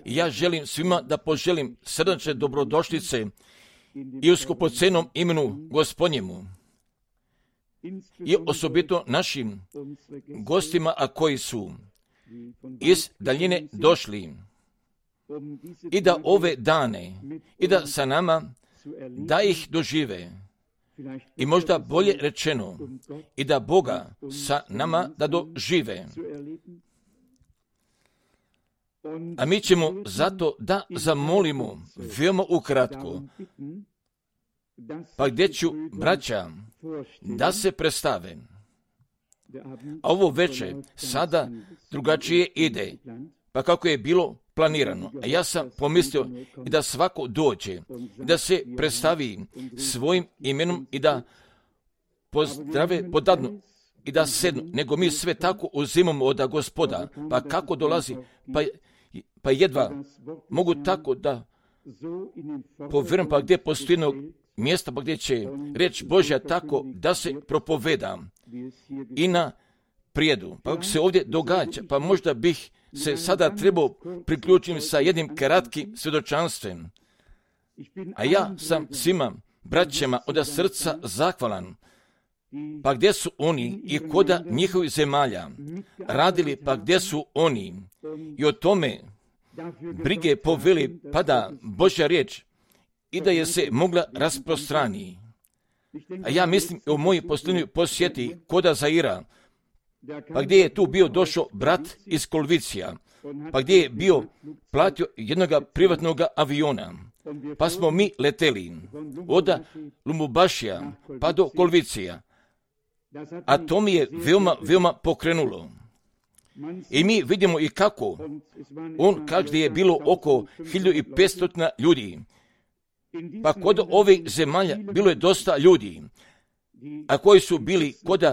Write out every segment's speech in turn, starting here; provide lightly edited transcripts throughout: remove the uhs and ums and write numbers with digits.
Ja želim svima da poželim srdačne dobrodošlice i u skupocenom imenu Gospodnjemu i osobito našim gostima, a koji su iz daljine došli i da ove dane i da sa nama da ih dožive i možda bolje rečeno i da Boga sa nama da dožive. A mi ćemo zato da zamolimo veoma ukratko, pa gdje ću braća da se predstave. A ovo večer sada drugačije ide, pa kako je bilo planirano. A ja sam pomislio i da svako dođe, da se predstavi svojim imenom i da pozdrave podadnu i da sednu, nego mi sve tako uzimamo od Gospoda. Pa kako dolazi? Pa jedva mogu tako da povjerujem, pa gdje postoji jednog mjesta, pa gdje će reč Božja tako da se propoveda i na prijedu. Pa kako se ovdje događa, pa možda bih se sada trebao priključiti sa jednim kratkim svjedočanstvom. A ja sam svima braćama od srca zahvalan. Pa gdje su oni i koda njihovih zemalja radili, pa gdje su oni i o tome brige poveli, pa da Božja riječ i da je se mogla rasprostrani. A ja mislim o mojoj posljednjoj posjeti koda Zaira, pa gdje je tu bio došao brat iz Kolvicija, pa gdje je bio platio jednog privatnog aviona, pa smo mi leteli od Lumumbašija pa do Kolvicija, a to mi je veoma pokrenulo. I mi vidimo i kako on kaže da je bilo oko 1500 ljudi, pa kod ovih zemalja bilo je dosta ljudi, a koji su bili kod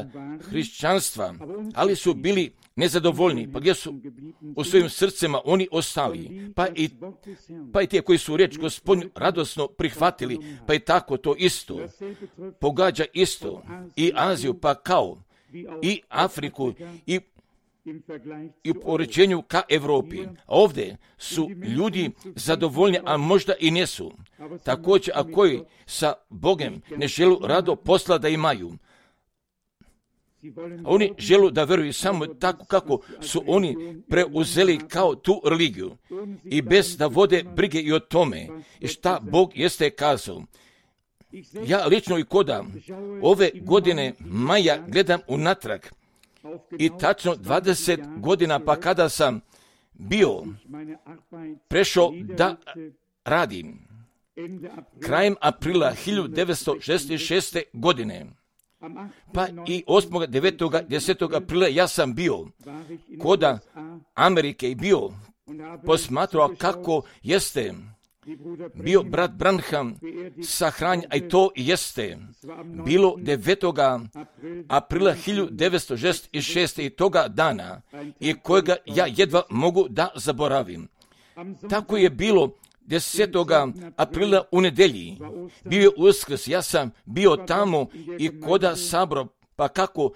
hrišćanstva, ali su bili nezadovoljni, pa gdje su u svojim srcima oni ostali, pa i ti koji su riječ Gospodnju radosno prihvatili, pa i tako to isto pogađa isto i Aziju, pa kao i Afriku i u poređenju ka Europi. Ovdje su ljudi zadovoljni, a možda i nesu. Također, a koji sa Bogom ne želu rado posla da imaju. Oni žele da veruju samo tako kako su oni preuzeli kao tu religiju i bez da vode brige i o tome i šta Bog jeste kazao. Ja lično i koda ove godine maja gledam unatrag i tačno 20 godina, pa kada sam bio prešao da radim krajem aprila 1966. godine, pa i 8., 9., 10. aprila ja sam bio koda Amerike i bio posmatrao kako jeste bio brat Branham sahranjen, a i to jeste bilo 9. aprila 1966. i toga dana i kojega ja jedva mogu da zaboravim. Tako je bilo 10. aprila u nedjelji. Bio je Uskrs, ja sam bio tamo i koda sabro, pa kako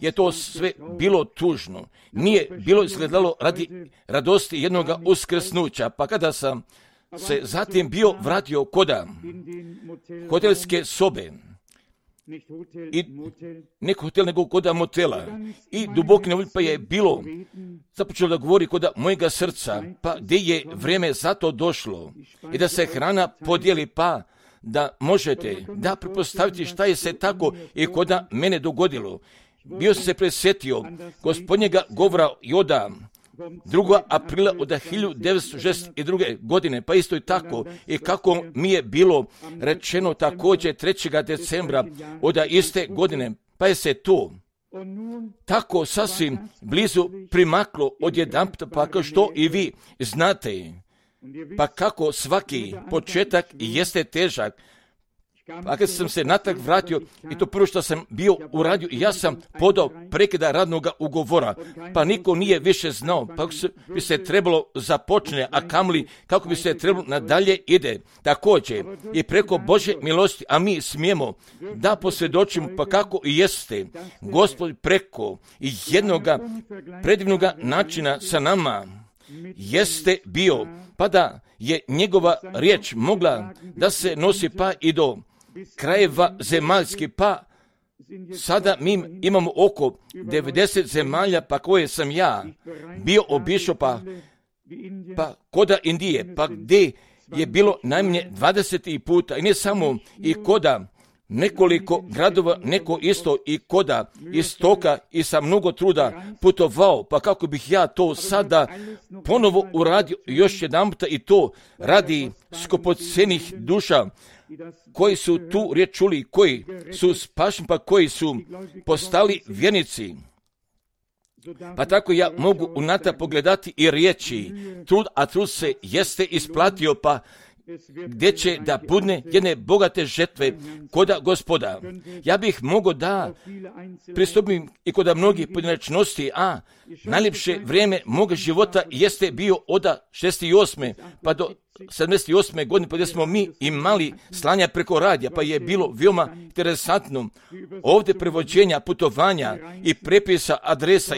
je to sve bilo tužno. Nije bilo izgledalo radi radosti jednog uskrsnuća, pa kada sam se zatim bio vratio koda hotelske sobe i neko hotel nego koda motela i duboki nevolj, pa je bilo započelo da govori koda mojega srca, pa gdje je vrijeme za to došlo i da se hrana podijeli, pa da možete da pretpostaviti šta je se tako i koda mene dogodilo. Bio sam se presjetio Gospodnjega govora i od 2. aprila od 1962. godine, pa isto i tako, i kako mi je bilo rečeno također 3. decembra od iste godine, pa je se to tako sasvim blizu primaklo odjedanput, pa kao što i vi znate, pa kako svaki početak jeste težak. Pa kad sam se natrag vratio i to prvo što sam bio uradio, ja sam podao prekida radnog ugovora, pa niko nije više znao, pa bi se trebalo započne, a kamoli kako bi se trebalo nadalje ide. Također i preko Božje milosti, a mi smijemo da posvjedočimo, pa kako i jeste Gospod preko jednoga predivnog načina sa nama jeste bio, pa da je njegova riječ mogla da se nosi pa i do krajeva zemaljskih, pa sada mi imamo oko 90 zemalja, pa koje sam ja bio obišao, pa koda Indije, pa gdje je bilo najmanje 20 puta, i ne samo i koda nekoliko gradova, neko isto i koda istoka i sa mnogo truda putovao, pa kako bih ja to sada ponovo uradio još jedan puta, i to radi skupocenih duša koji su tu riječ čuli, koji su spašeni, pa koji su postali vjernici. Pa tako ja mogu unata pogledati i riječi, a trud se jeste isplatio, pa gdje će da budne jedne bogate žetve koda Gospoda. Ja bih mogao da pristupim i koda mnogih pojedinačnosti, a najljepše vrijeme moga života jeste bio od 68. pa do 78. godine, pa gdje smo mi imali slanja preko radija, pa je bilo veoma interesantno ovdje prevođenja, putovanja i prepisa adresa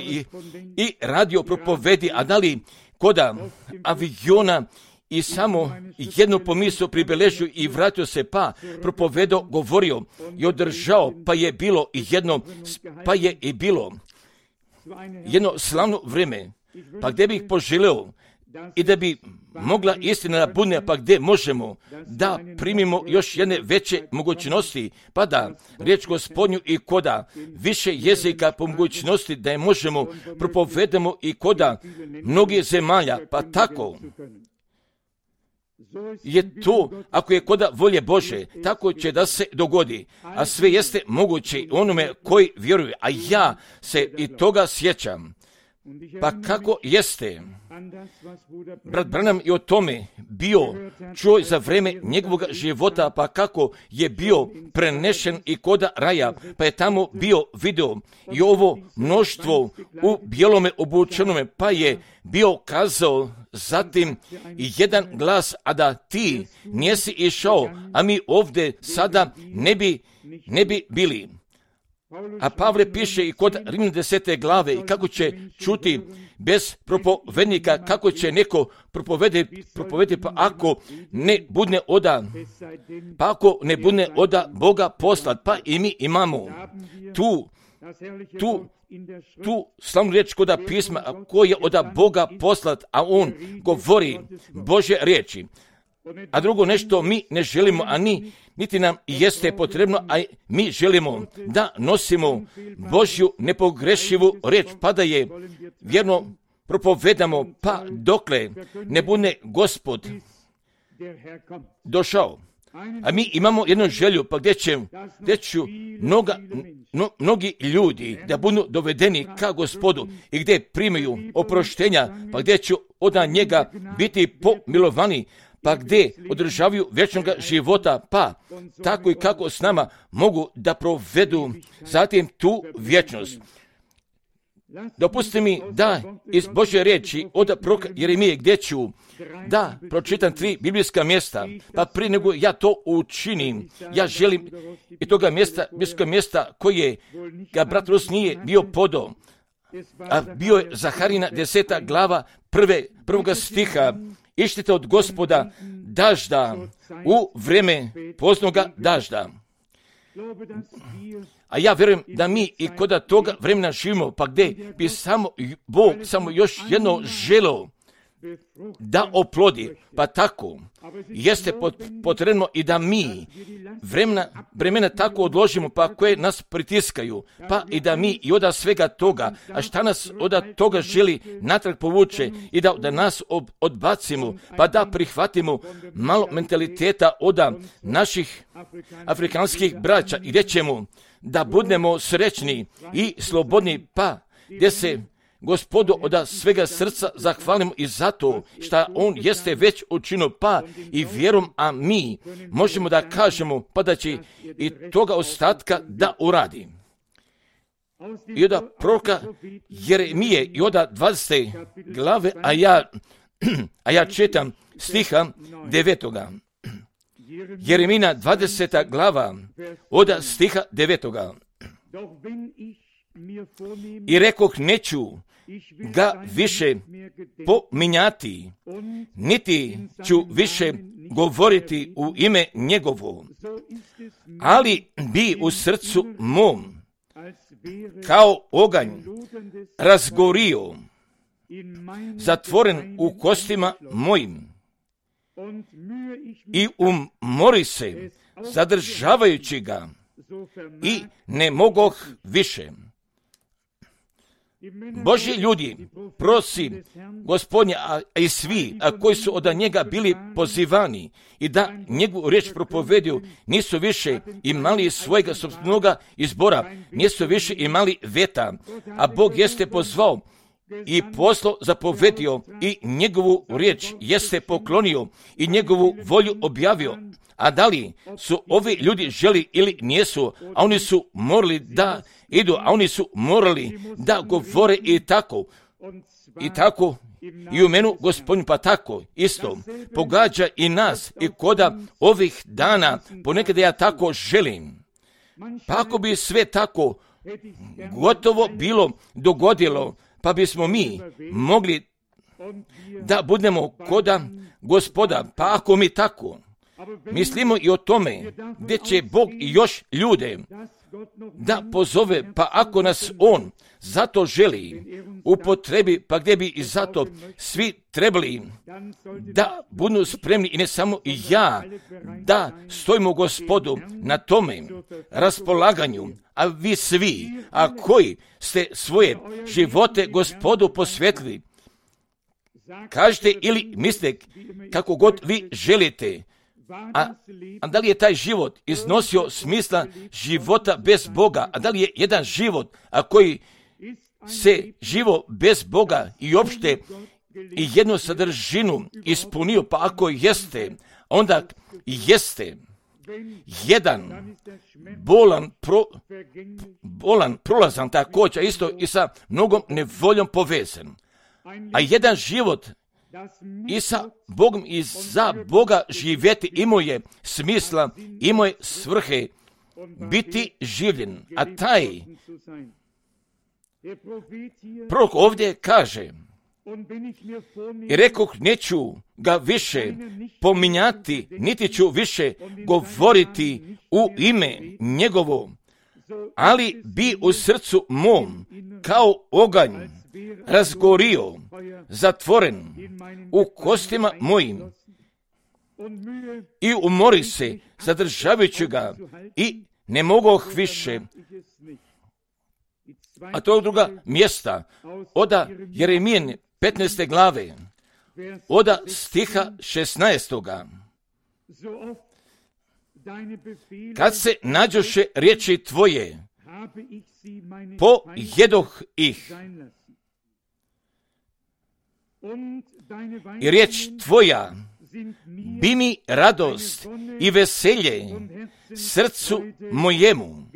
i radio propovedi, a da li koda aviona i samo jednu pomisao pribeležio i vratio se, pa propovedao, govorio i održao, pa je bilo jedno slavno vrijeme, pa gdje bih poželeo i da bi mogla istina da budne, pa gdje možemo da primimo još jedne veće mogućnosti, pa da riječ Gospodnju i koda više jezika po mogućnosti da je možemo propovedamo i koda mnogih zemalja, pa tako je to, ako je koda volje Bože, tako će da se dogodi, a sve jeste moguće onome koji vjeruje, a ja se i toga sjećam. Pa kako jeste brat Branham i o tome bio čuo za vrijeme njegovog života, pa kako je bio prenešen i koda raja, pa je tamo bio video i ovo mnoštvo u bijelome obučenome, pa je bio kazao zatim i jedan glas, a da ti nisi išao, a mi ovdje sada ne bi bili. A Pavle piše i kod Rimljana 10. glave, i kako će čuti bez propovednika, kako će neko propovediti, pa ako ne budne oda Boga poslat, pa i mi imamo tu slavnu riječ koda pisma, koji je od Boga poslat, a on govori Božje riječi. A drugo nešto mi ne želimo, a niti nam jeste potrebno, a mi želimo da nosimo Božju nepogrešivu riječ, pa da je vjerno propovedamo, pa dokle ne bude Gospod došao. A mi imamo jednu želju, pa gdje će mnogi ljudi da budu dovedeni ka Gospodu i gdje primaju oproštenja, pa gdje će od njega biti pomilovani, pa gdje održavaju vječnog života, pa tako i kako s nama mogu da provedu zatim tu vječnost. Dopustite mi da iz Božje riječi od proroka Jeremije, gdje ću da pročitam 3 biblijska mjesta, pa prije nego ja to učinim, ja želim i toga biblijskog mjesta koje ga brat Rus nije bio podao, a bio je Zaharina 10. glava 1. stiha. Ištite od Gospoda dažda u vrijeme poznoga dažda. A ja vjerujem da mi i kod toga vremena živimo, pa gdje bi Bog samo još jedno želeo da oplodi, pa tako jeste potrebno i da mi vremena tako odložimo, pa koje nas pritiskaju, pa i da mi i od svega toga, a šta nas od toga želi natrag povuče i da nas odbacimo, pa da prihvatimo malo mentaliteta od naših afrikanskih braća i gdje ćemo da budemo srećni i slobodni, pa gdje se Gospodu od svega srca zahvalimo i zato što on jeste već učinio, pa i vjerom, a mi možemo da kažemo pa da će i toga ostatka da uradi. I od proroka Jeremije i od 20. glave, a ja čitam stiha 9. Jeremina 20. glava od stiha 9. I rekoh, neću ga više pominjati, niti ću više govoriti u ime njegovo, ali bi u srcu mom kao oganj razgorio, zatvoren u kostima mojim, i umori se zadržavajući ga, i ne mogoh više. Božji ljudi, prosi Gospodnja, a i svi, koji su od njega bili pozivani i da njegovu riječ propovedu, nisu više imali svojega sopstvenoga izbora, nisu više imali veta, a Bog jeste pozvao i poslo zapovedio i njegovu riječ jeste poklonio i njegovu volju objavio. A da li su ovi ljudi želi ili nijesu, a oni su morali da idu, a oni su morali da govore i tako i u menu Gospodin, pa tako isto pogađa i nas i koda ovih dana ponekad ja tako želim. Pa ako bi sve tako gotovo bilo dogodilo, pa bismo mi mogli da budemo koda Gospoda, pa ako mi tako mislimo i o tome gdje će Bog još ljude da pozove, pa ako nas On zato želi upotrebi, pa gdje bi i zato svi trebali da budu spremni i ne samo ja, da stojimo Gospodu na tome raspolaganju, a vi svi, a koji ste svoje živote Gospodu posvetili, kažete ili mislite kako god vi želite. A da li je taj život iznosio smisla života bez Boga? A da li je jedan život, a koji se živo bez Boga i opšte i jednu sadržinu ispunio? Pa ako jeste, onda jeste jedan bolan prolazan također isto i sa mnogom nevoljom povezan. A jedan život i sa Bogom i za Boga živjeti imao je smisla, imao je svrhe biti življen. A taj prorok ovdje kaže, i rekoh, neću ga više pominjati, niti ću više govoriti u ime njegovo, ali bi u srcu mom kao oganj razgorio, zatvoren u kostima mojim, i umori se zadržavajući ga, i ne mogoh više. A to je druga mjesta, oda Jeremijen 15. glave, oda stiha 16. Kad se nađoše riječi tvoje, pojedoh ih, i riječ tvoja bi mi radost i veselje srcu mojemu,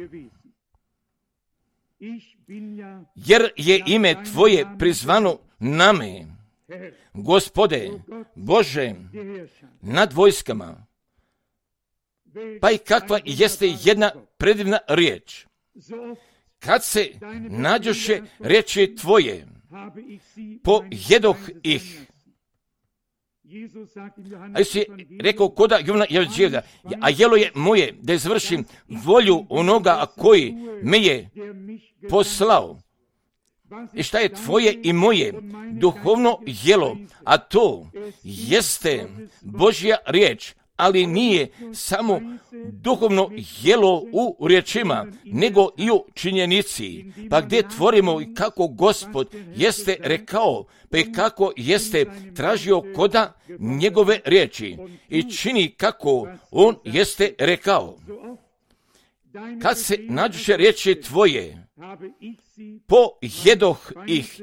jer je ime tvoje prizvano name, Gospode Bože nad vojskama. Pa i kakva jeste jedna predivna riječ. Kad se nađoše riječi tvoje, pojedoh ih. A Isus je rekao koda Jovana Evanđelja, a jelo je moje da izvršim volju onoga koji me je poslao. I šta je tvoje i moje duhovno jelo, a to jeste Božja riječ, ali nije samo duhovno jelo u riječima, nego i u činjenici. Pa gdje tvorimo i kako Gospod jeste rekao, pa i kako jeste tražio koda njegove riječi i čini kako on jeste rekao. Kad se nađuše riječi tvoje, pojedoh ih.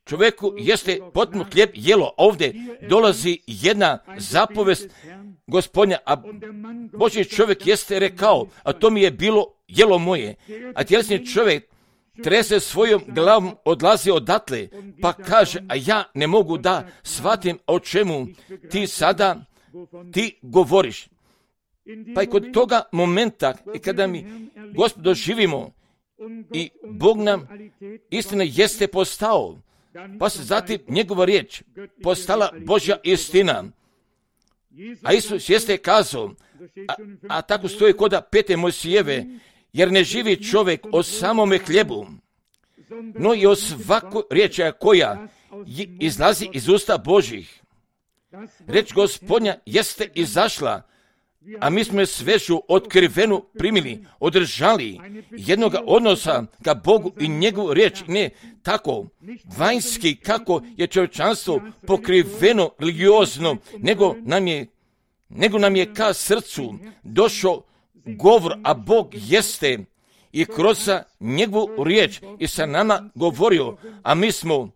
Čovjeku jeste potpuno hljeb jelo. Ovdje dolazi jedna zapovest Gospodnja, a Božji čovjek jeste rekao, a to mi je bilo jelo moje. A tjelesni čovjek trese svojom glavom, odlazi odatle, pa kaže, a ja ne mogu da shvatim o čemu ti govoriš. Pa i kod toga momenta, i kada mi Gospod doživimo I Bog nam istina jeste postao, pa se zatim njegova riječ postala Božja istina. A Isus jeste kazao, a tako stoji koda 5. Mojsijeve, jer ne živi čovjek o samome hljebu, no i o svakoj riječi koja izlazi iz usta Božjih. Reč Gospodnja jeste izašla, a mi smo je svežu otkrivenu primili, održali jednoga odnosa ka Bogu i njegovu riječ, ne tako vanjski kako je čovječanstvo pokriveno religiozno, nego nam je ka srcu došao govor, a Bog jeste i kroz njegovu riječ i sa nama govorio, a mi smo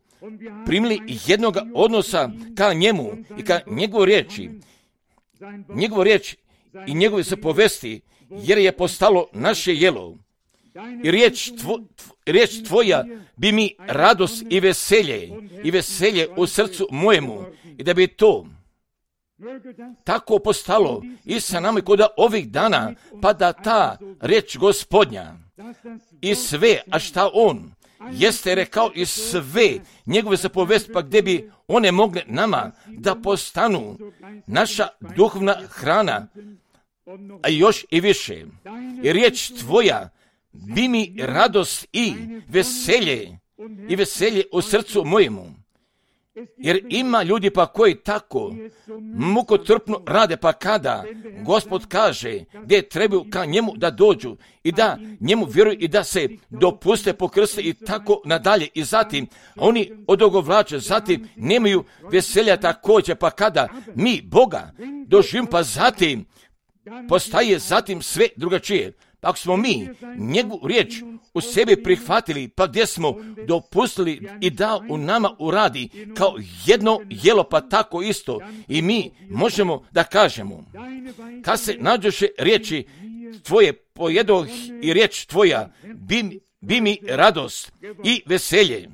primili jednoga odnosa ka njemu i ka njegovu riječi i njegove se povesti, jer je postalo naše jelo. I riječ tvoja bi mi radost i veselje u srcu mojemu, i da bi to tako postalo i sa nama kod ovih dana, pa da ta riječ Gospodnja i sve, a šta on jeste rekao i sve njegove zapovesti, pa gdje bi one mogle nama da postanu naša duhovna hrana, a još i više. I riječ tvoja bi mi radost i veselje u srcu mojemu. Jer ima ljudi pa koji tako mukotrpno rade, pa kada Gospod kaže gdje trebaju ka njemu da dođu i da njemu vjeruju i da se dopuste pokrste i tako nadalje, i zatim oni odogovlače, zatim nemaju veselja također, pa kada mi Boga doživimo, pa zatim postaje zatim sve drugačije. Ako smo mi njegovu riječ u sebi prihvatili, pa gdje smo dopustili i da u nama uradi kao jedno jelo, pa tako isto i mi možemo da kažemo, kad se nađoše riječi tvoje pojedoh i riječ tvoja bi mi radost i veselje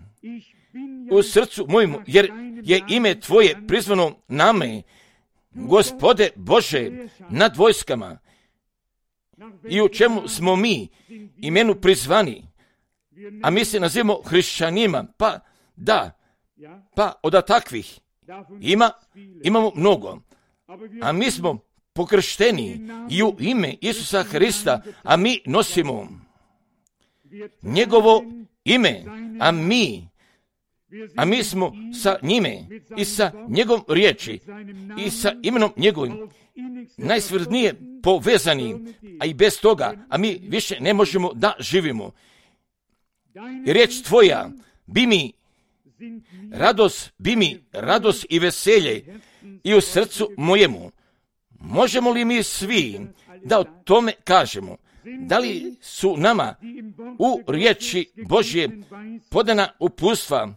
u srcu mojemu, jer je ime tvoje prizvano name, Gospode Bože nad vojskama. I u čemu smo mi imenu prizvani, a mi se nazivamo hrišćanima, pa od takvih imamo mnogo, a mi smo pokršteni i u ime Isusa Hrista, a mi nosimo njegovo ime, a mi smo sa njime i sa njegovom riječi i sa imenom njegovim najsvrdnije povezani, a i bez toga, a mi više ne možemo da živimo. Riječ tvoja bi mi radost i veselje i u srcu mojemu. Možemo li mi svi da o tome kažemo? Da li su nama u riječi Božje podana uputstva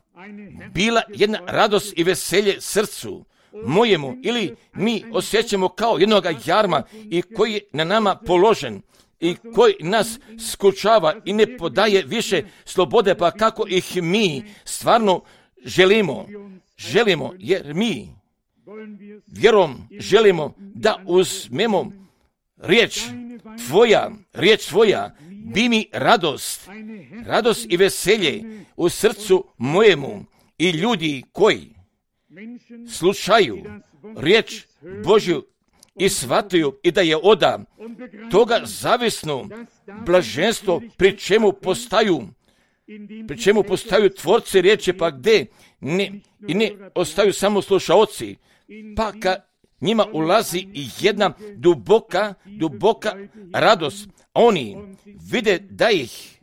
bila jedna radost i veselje srcu mojemu, ili mi osjećamo kao jednoga jarma i koji je na nama položen i koji nas skučava i ne podaje više slobode, pa kako ih mi stvarno želimo, jer mi vjerom želimo da uzmemo riječ tvoja bi mi radost i veselje u srcu mojemu, i ljudi koji slušaju riječ Božju i shvataju i da je oda toga zavisno blaženstvo, pri čemu postaju tvorci riječi, pa gdje ne ostaju samo slušaoci, pa ka njima ulazi i jedna duboka radost. Oni vide da ih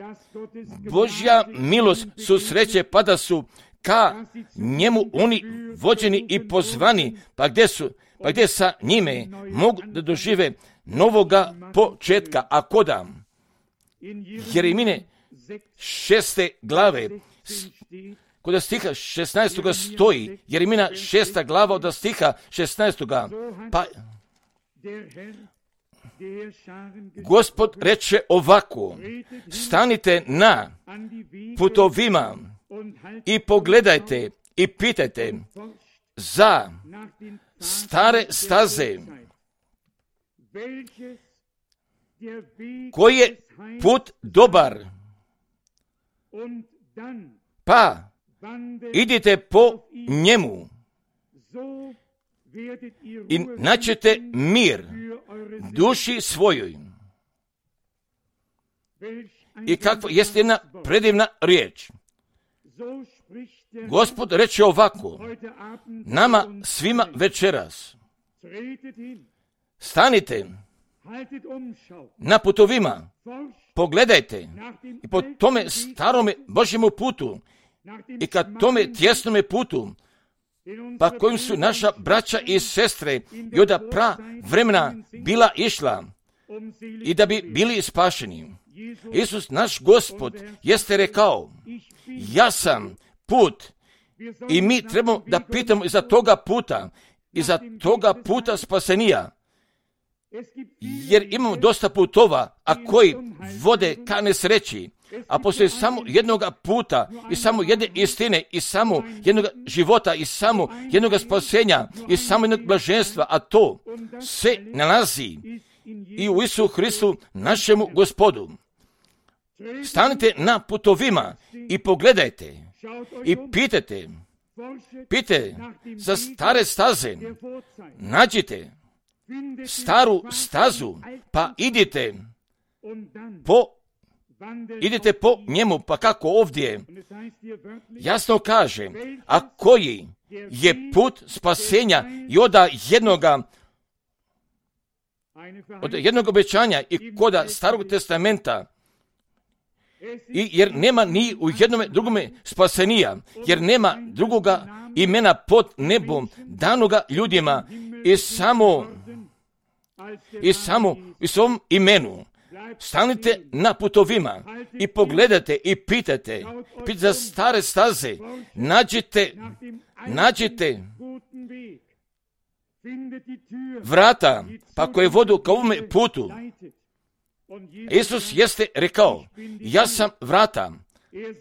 Božja milost susreće, pa da su ka njemu oni vođeni i pozvani, pa gdje sa njime mogu da dožive novoga početka. A koda Jeremine 6. glave, kod stiha 16. stoji, Jeremina 6. glava od stiha 16. Pa Gospod reče ovako: stanite na putovima i pogledajte i pitajte za stare staze, koji je put dobar pa idite po njemu i naćete mir duši svojoj. I kakva jest jedna predivna riječ. Gospod reče ovako nama svima večeras: stanite na putovima, pogledajte i po tome starome Božjemu putu i ka tome tjesnome putu, pa kojim su naša braća i sestre i od pra vremena bila išla i da bi bili spašeni. Isus, naš Gospod, jeste rekao: ja sam put. I mi trebamo da pitamo iza toga puta, iza toga puta spasenija. Jer imamo dosta putova, a koji vode ka nesreći, a postoji samo jednoga puta i samo jedne istine i samo jednog života i samo jednog spasenja i samo jednog blaženstva, a to se nalazi i u Isusu Hristu, našemu Gospodu. Stanite na putovima i pogledajte i pitajte za stare staze, nađite staru stazu, pa idite po njemu, pa kako ovdje jasno kaže, a koji je put spasenja i od jednog obećanja i koda Starog testamenta, jer nema ni u jednome drugome spasenija, jer nema drugoga imena pod nebom danoga ljudima i samo u svom imenu. Stanite na putovima i pogledajte i pitajte za stare staze, nađite vrata pa koje vodu ka ovome putu. Isus jeste rekao: ja sam vrata,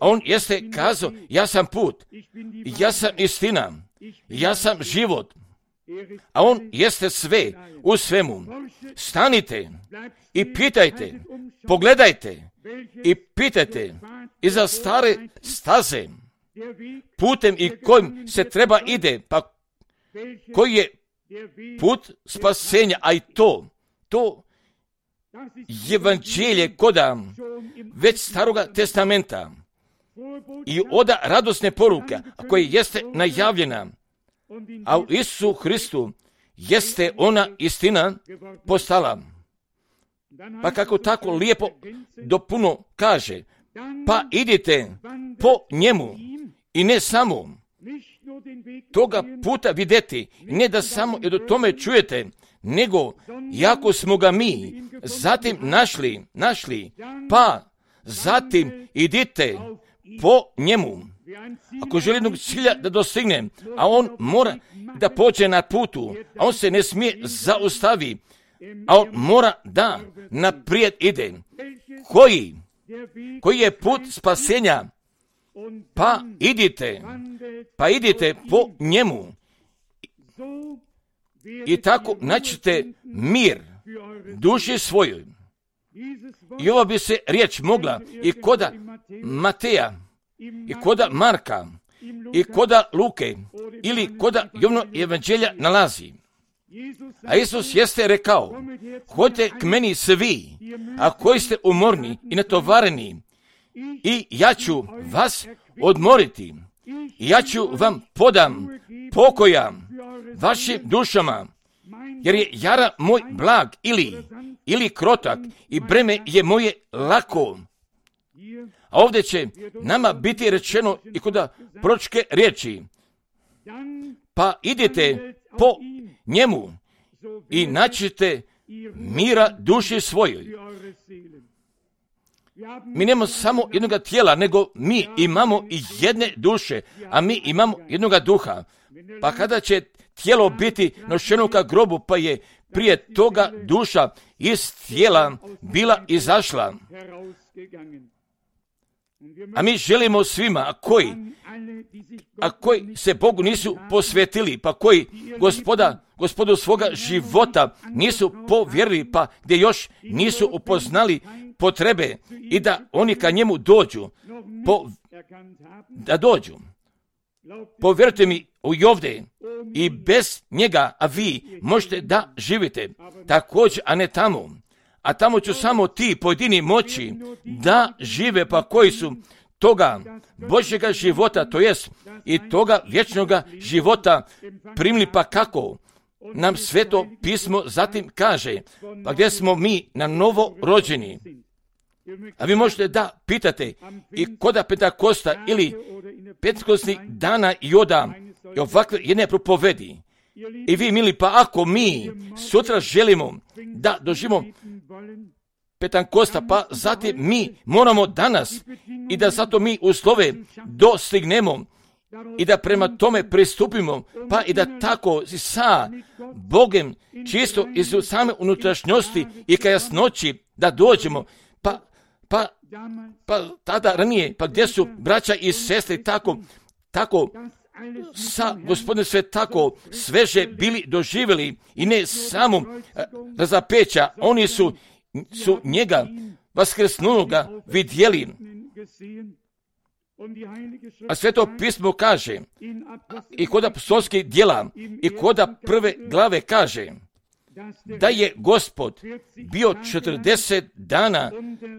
a on jeste kazao: ja sam put, ja sam istina, ja sam život, a on jeste sve u svemu. Stanite i pitajte, pogledajte i pitajte iza stare staze, putem i kojim se treba ide, pa koji je put spasenja, a i to evanđelje koda već Staroga testamenta i oda radosne poruke, koja jeste najavljena, a u Isusu Hristu jeste ona istina postala. Pa kako tako lijepo dopuno kaže, pa idite po njemu i ne samo toga puta vidjeti, ne da samo i do tome čujete, nego jako smo ga mi zatim našli, pa zatim idite po njemu. Ako želi jednog cilja da dostigne, a on mora da pođe na putu, a on se ne smije zaustavi, a on mora da naprijed ide. Koji je put spasenja? Pa idite po njemu. I tako naćete mir duši svojoj. I ova bi se riječ mogla i koda Mateja, i koda Marka, i koda Luke, ili koda Jovnog evanđelja nalazi. A Isus jeste rekao: hodite k meni svi, a koji ste umorni i natovareni, i ja ću vas odmoriti. I ja ću vam podam pokoja vašim dušama, jer je jara moj blag ili krotak i breme je moje lako. A ovdje će nama biti rečeno i koda proročke riječi: pa idite po njemu i naćete mira duši svojoj. Mi nemamo samo jednoga tijela, nego mi imamo i jedne duše, a mi imamo jednoga duha. Pa kada će tijelo biti nošeno ka grobu, pa je prije toga duša iz tijela bila izašla. A mi želimo svima, a koji se Bogu nisu posvetili, pa koji gospodu svoga života nisu povjerili, pa gdje još nisu upoznali potrebe i da oni ka njemu dođu, da dođu. Povjerujte mi i ovdje, i bez njega, a vi možete da živite također, a ne tamo. A tamo ću samo ti pojedini moći da žive, pa koji su toga Božjega života, to jest i toga vječnoga života primili, pa kako nam Sveto pismo zatim kaže, pa gdje smo mi na novo rođeni. A vi možete da pitate i koda Pentakosta ili Pentekostnih dana i ovakve jedne propovedi. I vi, mili, pa ako mi sutra želimo da doživimo Pentakosta, pa zatim mi moramo danas i da zato mi uslove dostignemo i da prema tome pristupimo, pa i da tako sa Bogem čisto iz same unutrašnjosti i ka jasnoći da dođemo, pa tada ranije, pa gdje su braća i sestre tako sa Gospodinom sve tako sveže bili doživjeli i ne samo razapeća, oni su njega vaskrsnuloga vidjeli. A Sveto pismo kaže i kod apostolskih djela i kod prve glave kaže da je Gospod bio 40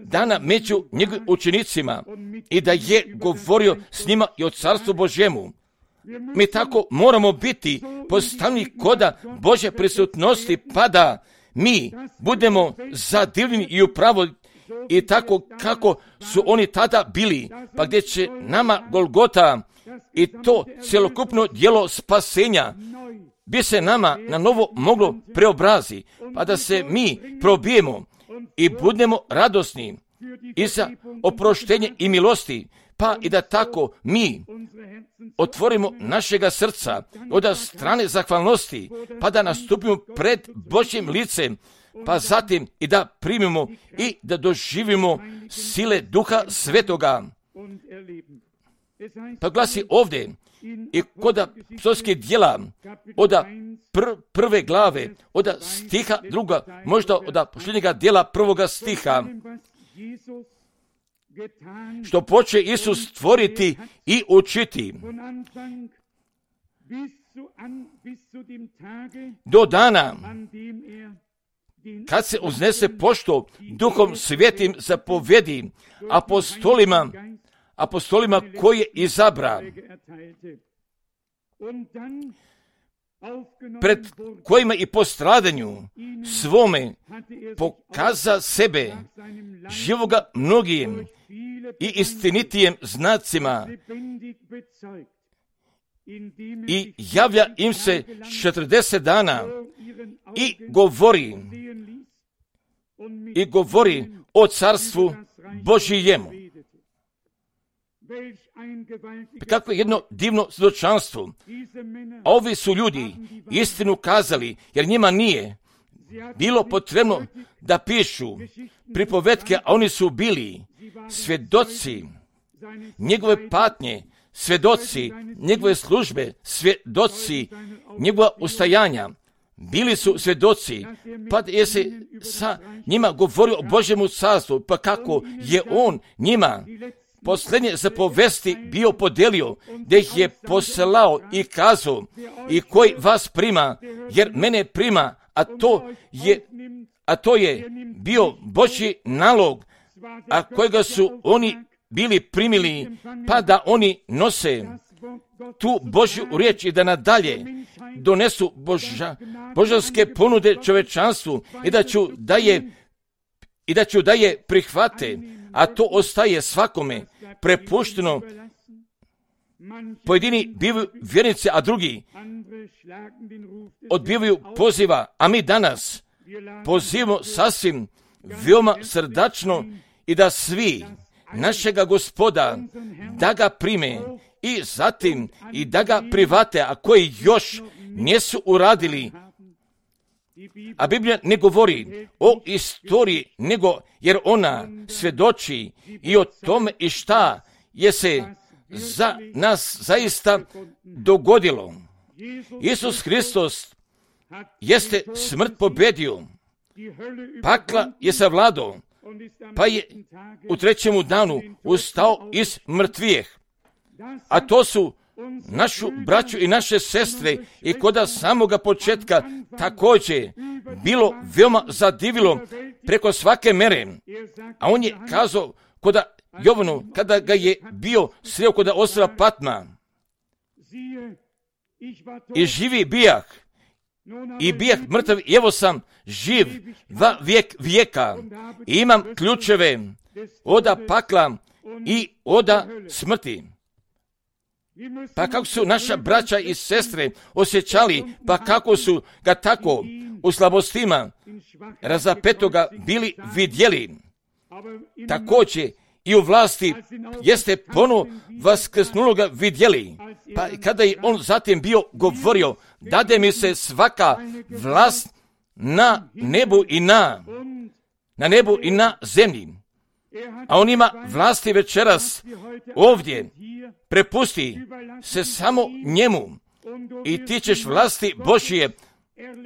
dana među njegovim učenicima i da je govorio s njima i o Carstvu Božjemu. Mi tako moramo biti postavljeni koda Božje prisutnosti, pa da mi budemo zadivljeni i upravo i tako kako su oni tada bili, pa gdje će nama Golgota i to cjelokupno djelo spasenja bi se nama na novo moglo preobrazi, pa da se mi probijemo i budemo radosni i za oproštenje i milosti, pa i da tako mi otvorimo našega srca od strane zahvalnosti, pa da nastupimo pred Božjim licem, pa zatim i da primimo i da doživimo sile Duha Svetoga. Pa glasi ovdje i kod apostolskih djela od prve glave, od stiha druga, možda od posljednjega djela prvoga stiha, što poče Isus stvoriti i učiti do dana kad se uznese pošto Duhom Svetim zapovjedi apostolima koje izabra, pred kojima i po stradanju svome pokaza sebe živoga mnogim i istinitijem znacima i javlja im se 40 dana i govori o Carstvu Božijemu. Kako je jedno divno svjedočanstvo. A ovi su ljudi istinu kazali, jer njima nije bilo potrebno da pišu pripovetke, a oni su bili svjedoci njegove patnje, svjedoci njegove službe, svjedoci njegova ustajanja. Bili su svjedoci, pa je se sa njima govorio o Božjemu carstvu, pa kako je on njima posljednje zapovesti bio podelio, gdje ih je poslao i kazao, i koji vas prima, jer mene prima, a to je bio Božji nalog, a kojega su oni bili primili, pa da oni nose tu Božju riječ i da nadalje donesu božanske ponude čovečanstvu i da ću da je prihvate, a to ostaje svakome prepušteno. Pojedini bivaju vjernici, a drugi odbivaju poziva, a mi danas pozivamo sasvim veoma srdačno i da svi našega Gospoda da ga prime i zatim i da ga private, a koji još nisu uradili. A Biblija ne govori o istoriji, nego jer ona svjedoči i o tome i šta je se za nas zaista dogodilo. Isus Hristos jeste smrt pobedio, pakla je savladao, pa je u trećemu danu ustao iz mrtvijeh. A to su našu braću i naše sestre i kod samoga početka također bilo veoma zadivilo preko svake mere. A on je kazao kod Jovanu, kada ga je bio sreo kod ostrva Patma, i živi bijah, i bijah mrtav, i evo sam živ va vijek vijeka, i imam ključeve oda pakla i oda smrti. Pa kako su naša braća i sestre osjećali, pa kako su ga tako u slabostima razapetoga bili vidjeli, također i u vlasti jeste ponovo vaskrsnuloga vidjeli. Pa kada je on zatim bio govorio, dade mi se svaka vlast na nebu i na nebu i na zemlji. A on ima vlasti večeras ovdje, prepusti se samo njemu i ti ćeš vlasti Božije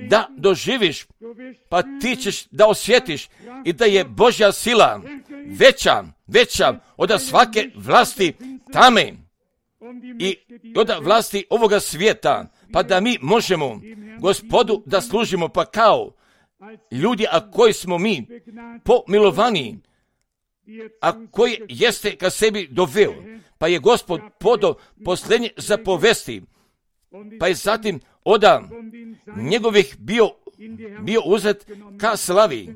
da doživiš, pa ti ćeš da osjetiš i da je Božja sila veća od svake vlasti tame i od vlasti ovoga svijeta, pa da mi možemo Gospodu da služimo, pa kao ljudi, a koji smo mi pomilovani, a koji jeste ka sebi doveo, pa je Gospod podao posljednje zapovesti, pa je zatim od njegovih bio uzet ka slavi.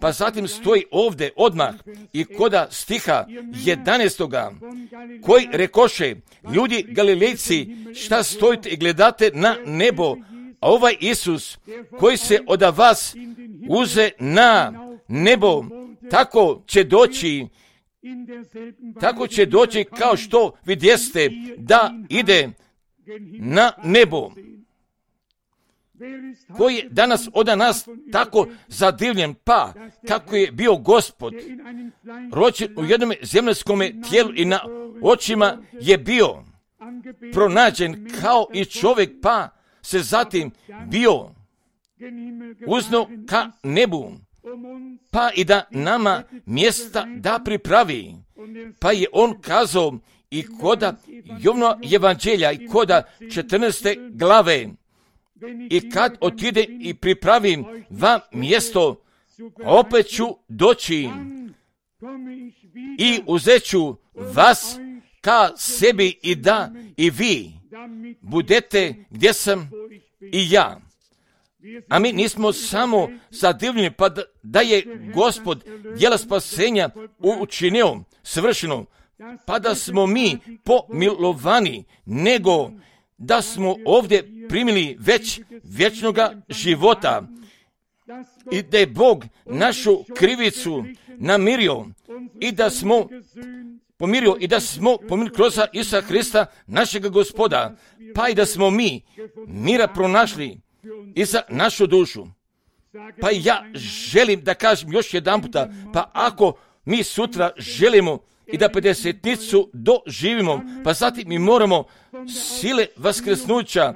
Pa zatim stoji ovdje odmah i koda stiha 11. koji rekoše, ljudi Galilejci, šta stojite i gledate na nebo, a ovaj Isus koji se od vas uze na nebo, tako će doći kao što vidjeste da ide na nebo. Koji je danas od nas tako zadivljen, pa kako je bio Gospod rođen u jednom zemaljskom tijelu i na očima je bio pronađen kao i čovjek, pa se zatim bio uzno ka nebu, pa i da nama mjesta da pripravi. Pa je on kazao i koda Jovnova evanđelja i koda 14. glave, i kad otide i pripravim vam mjesto, opet ću doći i uzet ću vas ka sebi i da i vi budete gdje sam i ja. A mi nismo samo zadivljeni, pa da je Gospod djela spasenja učinio svršeno, pa da smo mi pomilovani, nego da smo ovdje primili već vječnoga života i da je Bog našu krivicu namirio i da smo pomirio i da smo pomirili kroz Isusa Hrista, našega Gospoda, pa i da smo mi mira pronašli i za našu dušu. Pa ja želim da kažem još jedan puta, pa ako mi sutra želimo i da 50-nicu doživimo, pa zatim mi moramo sile vaskrsnuća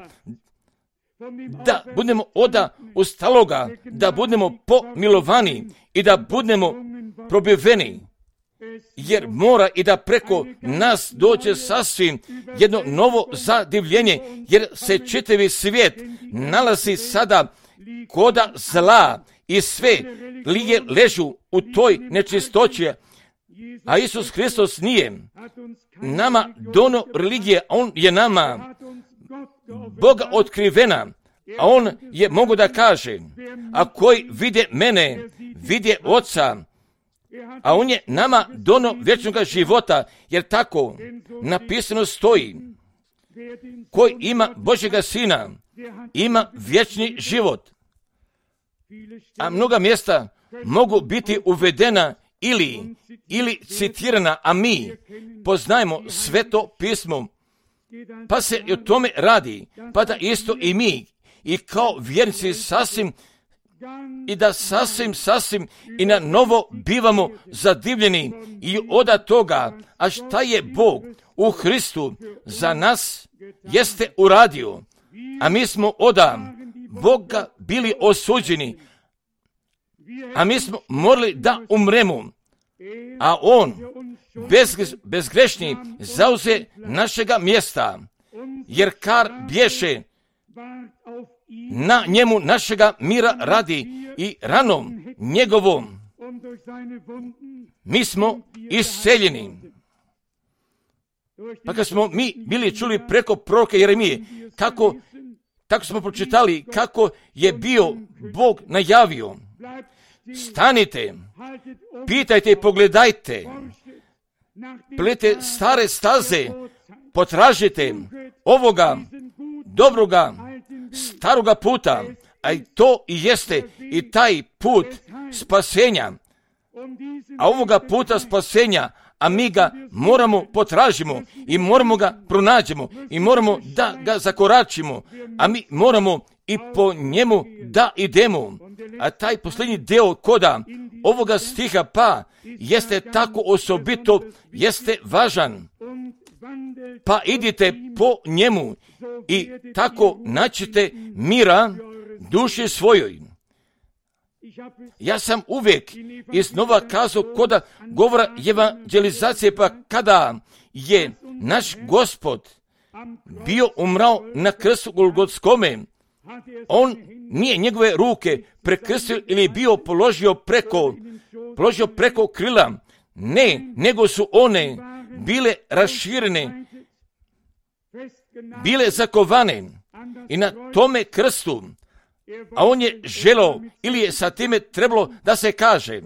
da budemo oda ustaloga, da budemo pomilovani i da budemo probiveni, jer mora i da preko nas dođe sasvim jedno novo zadivljenje, jer se čitavi svijet nalazi sada koda zla i sve lige ležu u toj nečistoći, a Isus Hristos nije nama dono religije, on je nama Boga otkrivena, a on je mogu da kaže, a koji vide mene, vide Oca, a on je nama dono vječnog života, jer tako napisano stoji, koji ima Božjega Sina, ima vječni život. A mnoga mjesta mogu biti uvedena ili citirana, a mi poznajemo Sveto pismo, pa se i o tome radi, pa da isto i mi, i kao vjernici sasvim i na novo bivamo zadivljeni i od toga, a šta je Bog u Hristu za nas jeste uradio, a mi smo od Boga bili osuđeni, a mi smo morali da umremo, a on, bezgrešni, zauze našega mjesta, jer kar bješe na njemu našega mira radi i ranom njegovom mi smo isceljeni. Pa kad smo mi bili čuli preko proroka Jeremije, tako smo pročitali kako je bio Bog najavio. Stanite, pitajte i pogledajte, plete stare staze, potražite ovoga dobroga staroga puta, a i to i jeste i taj put spasenja. A ovoga puta spasenja, a mi ga moramo potražimo i moramo ga pronađemo i moramo da ga zakoračimo, a mi moramo i po njemu da idemo. A taj posljednji deo koda ovoga stiha pa jeste tako osobito, jeste važan. Pa idite po njemu i tako naćete mira duši svojoj. Ja sam uvijek iznova kazao koda govora evanđelizacije, pa kada je naš Gospod bio umrao na krstu Golgotskome, on nije njegove ruke prekrstio ili bio položio preko krila, ne, nego su one bile raširene, bile zakovane i na tome krstu, a on je želeo ili je sa time trebalo da se kaže: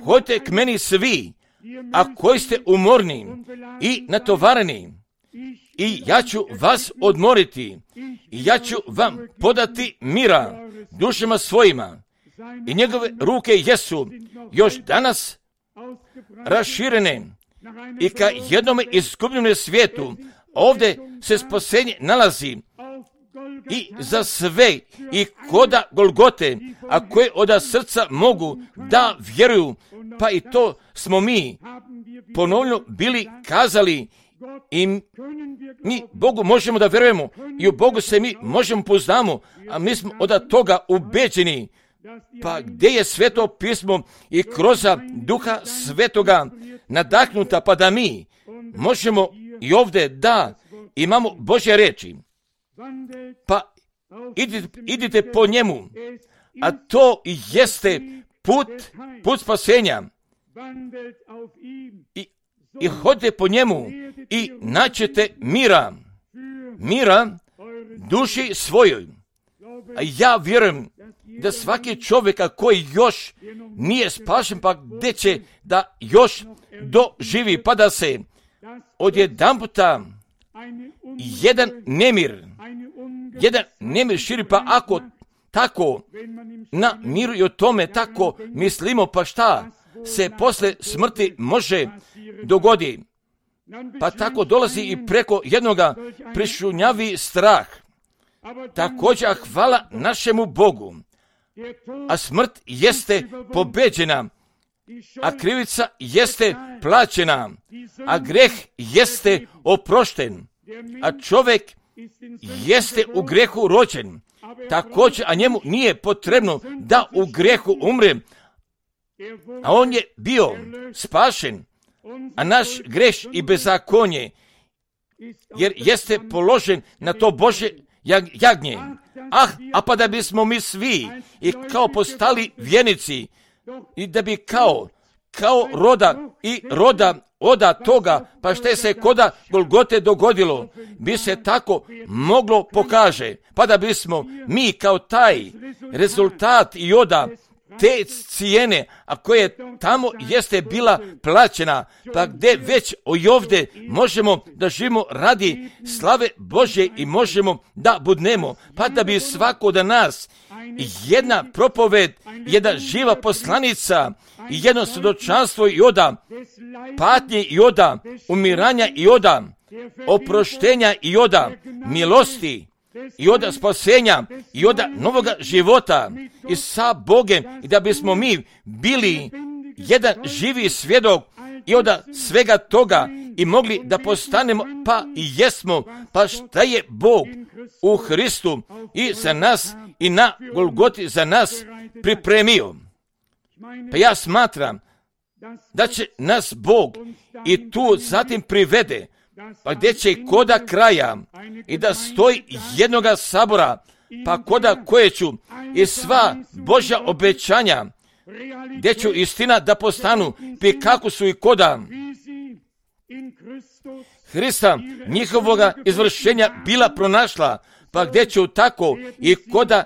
hodite k meni svi, a koji ste umorni i natovareni, i ja ću vas odmoriti, i ja ću vam podati mira dušama svojima. I njegove ruke jesu još danas raširene i ka jednome izgubljenome svijetu. Ovdje se spasenje nalazi i za sve i koda Golgote, a koje od srca mogu da vjeruju, pa i to smo mi ponovno bili kazali i mi Bogu možemo da vjerujemo i u Bogu se mi možemo poznamo, a mi smo od toga ubeđeni. Pa gdje je Sveto pismo i kroz Duha Svetoga nadahnuta, pa da mi možemo i ovdje da imamo Božje reči. Pa idite po njemu, a to jeste put spasenja. I hodite po njemu i naćete mira duši svojoj. A ja vjerujem da svaki čovjek koji još nije spašen, pa gdje će da još doživi, pa da se odjedanputa jedan nemir širi, pa ako tako na miru i o tome tako mislimo, pa šta se posle smrti može dogodi? Pa tako dolazi i preko jednoga prišunjavi strah. Također hvala našemu Bogu, a smrt jeste pobeđena, a krivica jeste plaćena, a greh jeste oprošten, a čovjek jeste u grehu rođen. Također, a njemu nije potrebno da u grehu umre, a on je bio spašen, a naš greh i bezakonje, jer jeste položen na to Božje jagnje. A pa da bismo mi svi i kao postali vjernici i da bi kao roda oda toga, pa što se koda Golgote dogodilo, bi se tako moglo pokaže, pa da bismo mi kao taj rezultat i oda te cijene, a koje tamo jeste bila plaćena, pa gdje već i ovdje možemo da živimo radi slave Božje i možemo da budnemo, pa da bi svako od nas jedna propoved, jedna živa poslanica i jedno svjedočanstvo i oda patnje i oda umiranja i oda oproštenja i oda milosti i oda spasenja i oda novoga života i sa Bogem, i da bismo mi bili jedan živi svjedok i oda svega toga i mogli da postanemo, pa i jesmo, pa šta je Bog u Hristu i za nas i na Golgoti za nas pripremio. Pa ja smatram da će nas Bog i tu zatim privede, pa gdje će koda kraja i da stoji jednoga sabora, pa koda koje ću i sva Božja obećanja, gdje ću istina da postanu, pi kako su i koda Hrista njihovoga izvršenja bila pronašla, pa gdje ću tako i koda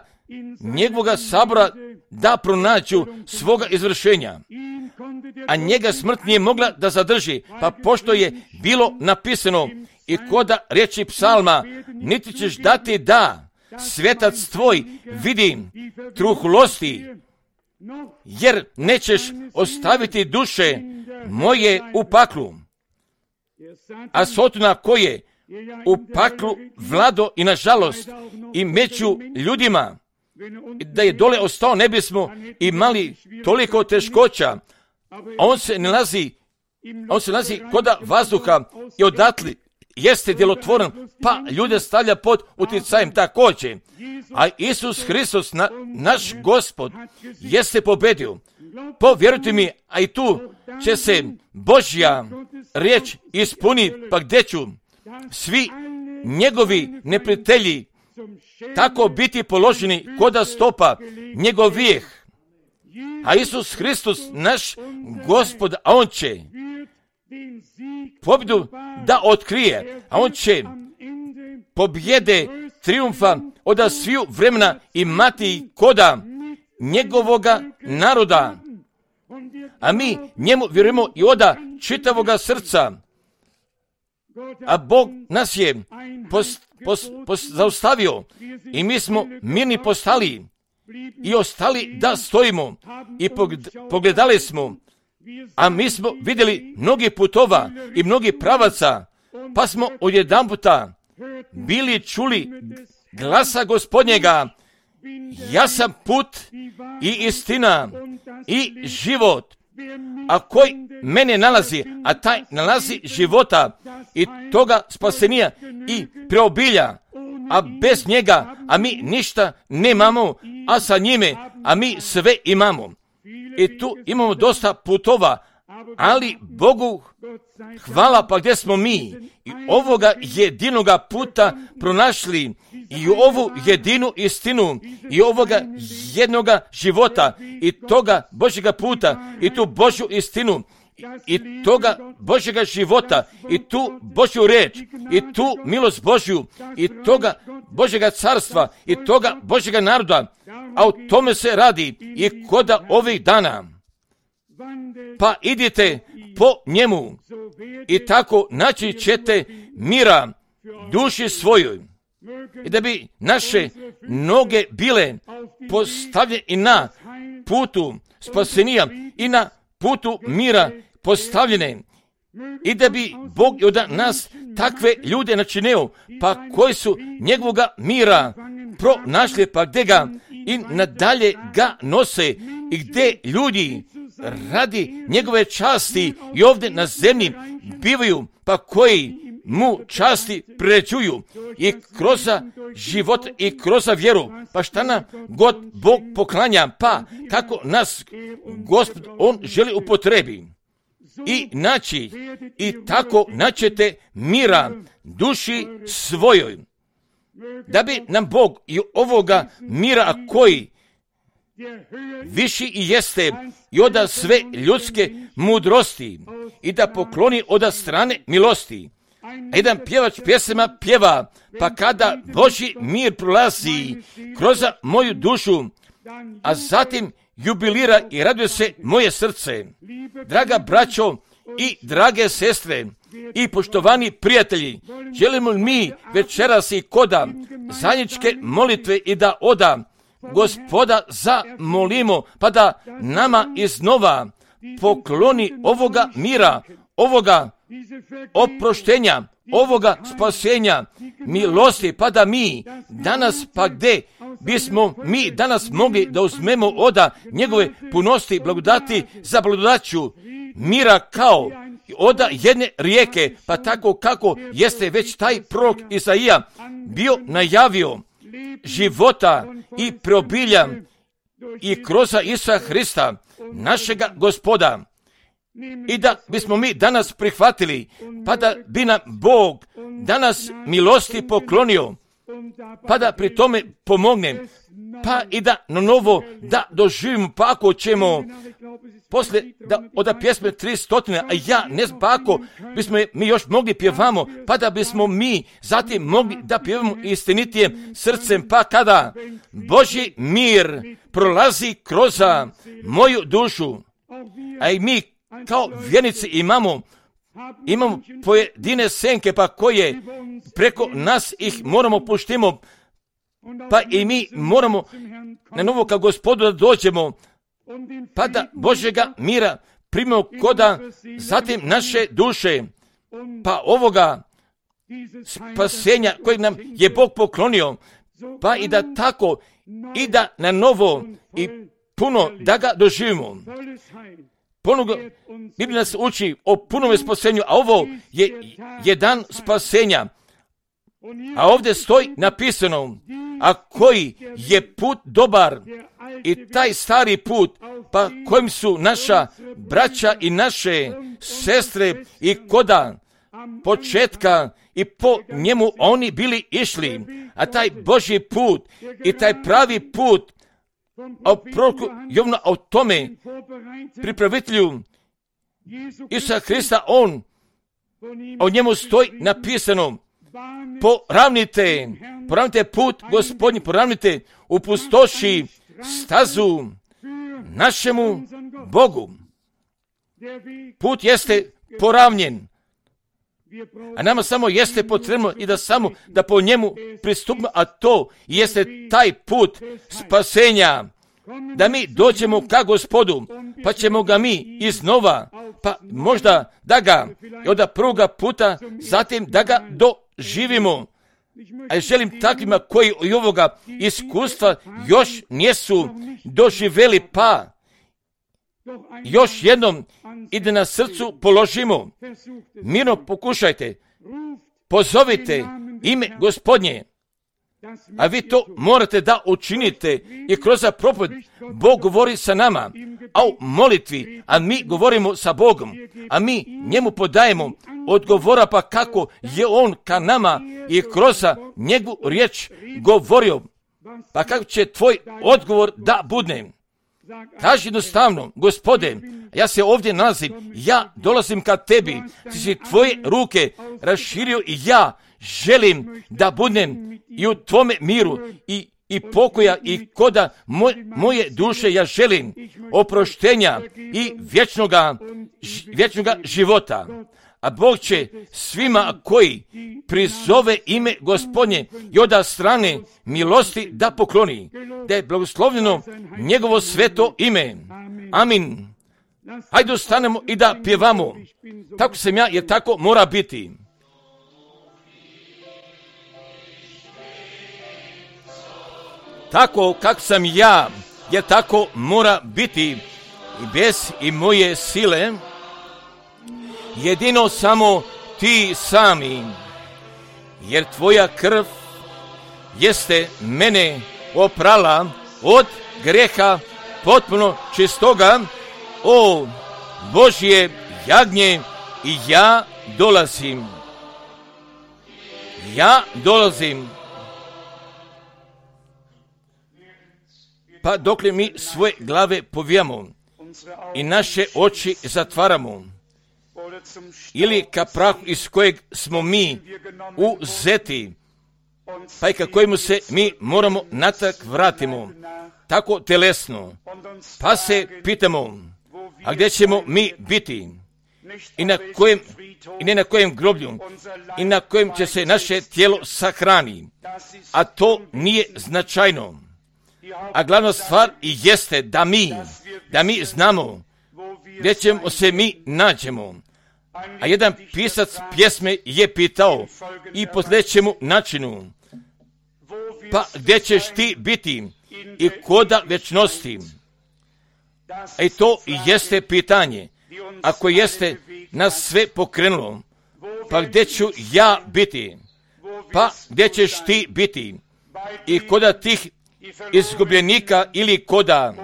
njegovoga sabora da pronađu svoga izvršenja. A njega smrt nije mogla da zadrži, pa pošto je bilo napisano i koda riječi psalma, niti ćeš dati da svetac tvoj vidi truhlosti, jer nećeš ostaviti duše moje u paklu. A Sotona koje u paklu vlado i nažalost i među ljudima, da je dole ostao ne bismo imali toliko teškoća. On se nalazi koda vazduha i odatli jeste djelotvoran, pa ljude stavlja pod utjecajem također. A Isus Hristos, naš Gospod, jeste pobedio. Povjerujte mi, a i tu će se Božja riječ ispuni, pa gdje ću svi njegovi neprijatelji tako biti položeni koda stopa njegovih. A Isus Hristos, naš Gospod, a on će pobjedu da otkrije, a on će pobjede triumfa od sviju vremena imati koda njegovoga naroda. A mi njemu vjerujemo i oda čitavoga srca. A Bog nas je zaustavio i mi smo mirni postali i ostali da stojimo i pogledali smo, a mi smo vidjeli mnogi putova i mnogi pravaca, pa smo odjedanputa bili čuli glasa Gospodnjega, ja sam put i istina i život, a koji mene nalazi, a taj nalazi života i toga spasenija i preobilja, a bez njega, a mi ništa nemamo, a sa njime, a mi sve imamo. I tu imamo dosta putova, ali Bogu hvala, pa gdje smo mi i ovoga jedinoga puta pronašli i ovu jedinu istinu i ovoga jednoga života i toga Božjega puta i tu Božju istinu i toga Božjega života i tu Božju reč i tu milost Božju i toga Božjega carstva i toga Božjega naroda, a o tome se radi i koda ovih dana. Pa idite po njemu i tako naći ćete mira duši svojoj i da bi naše noge bile postavljene i na putu spasenija i na putu mira postavljene i da bi Bog od nas takve ljude načinio, pa koji su njegovoga mira pronašli, pa gdje ga i nadalje ga nose i gdje ljudi radi njegove časti i ovdje na zemlji bivaju, pa koji mu časti priređuju i kroz život i kroz vjeru, pa šta nam god Bog poklanja, pa kako nas Gospod on želi upotrebi i naći i tako naćete mira duši svojoj, da bi nam Bog i ovoga mira koji viši i jeste i oda sve ljudske mudrosti i da pokloni oda strane milosti. A jedan pjevač pjesama pjeva, pa kada Božji mir prolazi kroz moju dušu, a zatim jubilira i raduje se moje srce. Draga braćo i drage sestre i poštovani prijatelji, želimo mi večeras i koda zajedničke molitve i da oda Gospoda zamolimo, pa da nama iznova pokloni ovoga mira, ovoga oproštenja, ovoga spasenja, milosti, pa da mi danas, pa gdje bismo mi danas mogli da uzmemo oda njegove punosti, blagodati za blagodaću mira kao oda jedne rijeke, pa tako kako jeste već taj prorok Isaija bio najavio života i preobilja i kroz Isusa Hrista, našega Gospoda. I da bismo mi danas prihvatili, pa da bi nam Bog danas milosti poklonio, pa da pri tome pomogne, pa i da na novo da doživimo, pa ako ćemo poslije da od pjesme 300, a ja ne znam pa ako bismo mi još mogli pjevamo, pa da bismo mi zatim mogli da pjevamo istinitije srcem, pa kada Božji mir prolazi kroz moju dušu, a i mi kao vjernici imamo pojedine senke, pa koje preko nas ih moramo puštimo, pa i mi moramo na novo kao Gospodu da dođemo, pa da Božjega mira primimo koda, zatim naše duše, pa ovoga spasenja kojeg nam je Bog poklonio, pa i da tako i da na novo i puno da ga doživimo. Biblija nas uči o punome spasenju, a ovo je dan spasenja. A ovdje stoji napisano, a koji je put dobar, i taj stari put, pa kojim su naša braća i naše sestre i koda početka i po njemu oni bili išli, a taj Božji put i taj pravi put, a proroku Jovanu o tome pripravitelju Isusa Hrista, o njemu stoji napisano, poravnite put Gospodnji, poravnite u pustoši stazu našemu Bogu. Put jeste poravnjen, a nama samo jeste potrebno i da po njemu pristupimo, a to jeste taj put spasenja, da mi dođemo ka Gospodu, pa ćemo ga mi iznova, pa možda da ga od prvoga puta, zatim da ga doživimo. A želim takvima koji i ovoga iskustva još nisu doživjeli, pa još jednom i da na srcu položimo. Mirno pokušajte, pozovite ime Gospodnje, a vi to morate da učinite i kroz propoved. Bog govori sa nama, a u molitvi, a mi govorimo sa Bogom, a mi njemu podajemo odgovora, pa kako je on ka nama i kroz njegovu riječ govorio, pa kako će tvoj odgovor da bude. Kaži jednostavno, Gospode, ja se ovdje nalazim, ja dolazim ka tebi, ti si tvoje ruke raširio i ja želim da budem i u tvome miru i pokoja i koda moje duše, ja želim oproštenja i vječnoga života. A Bog će svima koji prizove ime Gospodnje i od strane milosti da pokloni, da je blagoslovljeno njegovo sveto ime. Amin. Hajde ostanemo i da pjevamo. Tako sam ja, jer tako mora biti. Tako kako sam ja, jer tako mora biti, i bez i moje sile, jedino samo ti sami, jer tvoja krv jeste mene oprala od greha potpuno čistoga, o Božje jagnje, i ja dolazim. Pa dokle mi svoje glave povijamo i naše oči zatvaramo, ili ka prahu iz kojeg smo mi uzeti, pa i ka kojemu se mi moramo natrag vratimo, tako telesno, pa se pitamo, a gdje ćemo mi biti i ne na kojem groblju i na kojem će se naše tijelo sahrani, a to nije značajno. A glavna stvar jeste da mi znamo gdje ćemo se mi nađemo. A jedan pisac pjesme je pitao i po sljedećemu načinu, pa gdje ćeš ti biti i koda večnosti? A i to jeste pitanje, ako jeste nas sve pokrenulo, pa gdje ću ja biti? Pa gdje ćeš ti biti i koda tih izgubljenika ili koda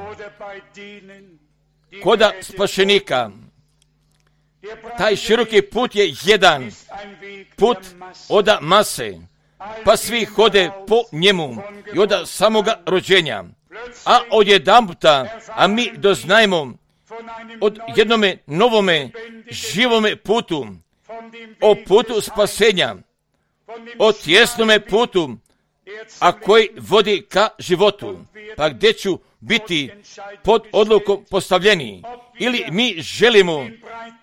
koda spašenika. Taj široki put je jedan put oda mase, pa svi hode po njemu i oda samoga rođenja. A odjedanputa, a mi doznajemo od jednome novome živome putu, o putu spasenja, o tjesnome putu, a koji vodi ka životu, pa gdje ću biti pod odlukom postavljeni, ili mi želimo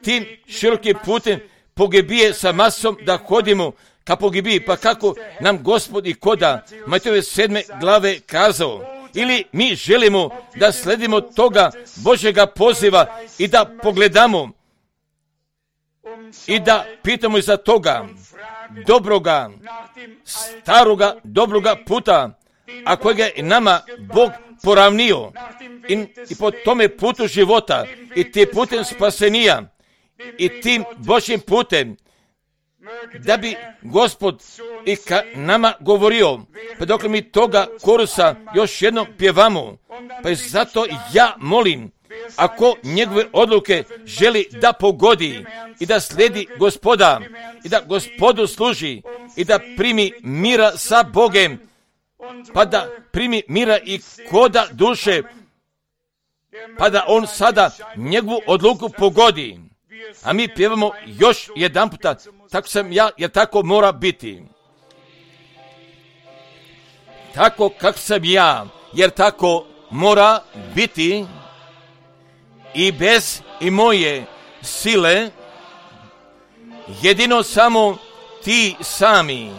tim širokim putem pogibije sa masom da hodimo ka pogibiji, pa kako nam Gospod i koda Matejove 7. glave kazao, ili mi želimo da sledimo toga Božjega poziva i da pogledamo i da pitamo iza toga dobroga, staroga, dobroga puta, a kojega je nama Bog poravnio i po tome putu života i tim putem spasenija i tim Božjim putem, da bi Gospod i ka nama govorio, pa dok mi toga korusa još jednom pjevamo, pa i zato ja molim, ako njegove odluke želi da pogodi i da slijedi Gospoda i da Gospodu služi i da primi mira sa Bogem, pa da primi mira i koda duše, pa da on sada njegovu odluku pogodi. A mi pjevamo još jedan puta, tako sam ja, jer tako mora biti. Tako kak sam ja, jer tako mora biti, i bez i moje sile, jedino samo ti sami,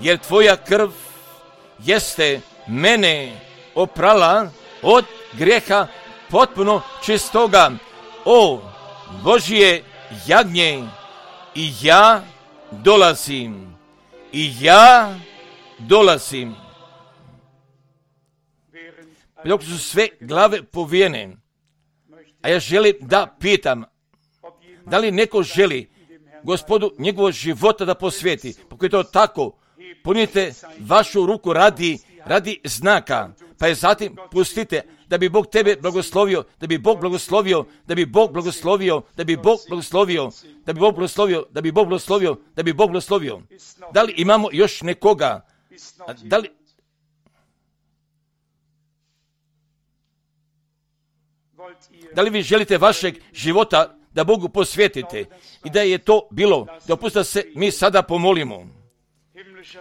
jer tvoja krv jeste mene oprala od grijeha potpuno čistoga. O Božje jagnje, i ja dolazim. Dok su sve glave povijene, a ja želim da pitam, da li neko želi Gospodu njegovog života da posvijeti? Ako je to tako, ponijete vašu ruku radi znaka, pa je zatim pustite da bi Bog tebe blagoslovio, da bi Bog blagoslovio, da bi Bog blagoslovio, da bi Bog blagoslovio, da bi Bog blagoslovio, da bi Bog blagoslovio, da bi Bog blagoslovio. Da li imamo još nekoga? Da li vi želite vašeg života da Bogu posvetite i da je to bilo? Dopustite se mi sada pomolimo.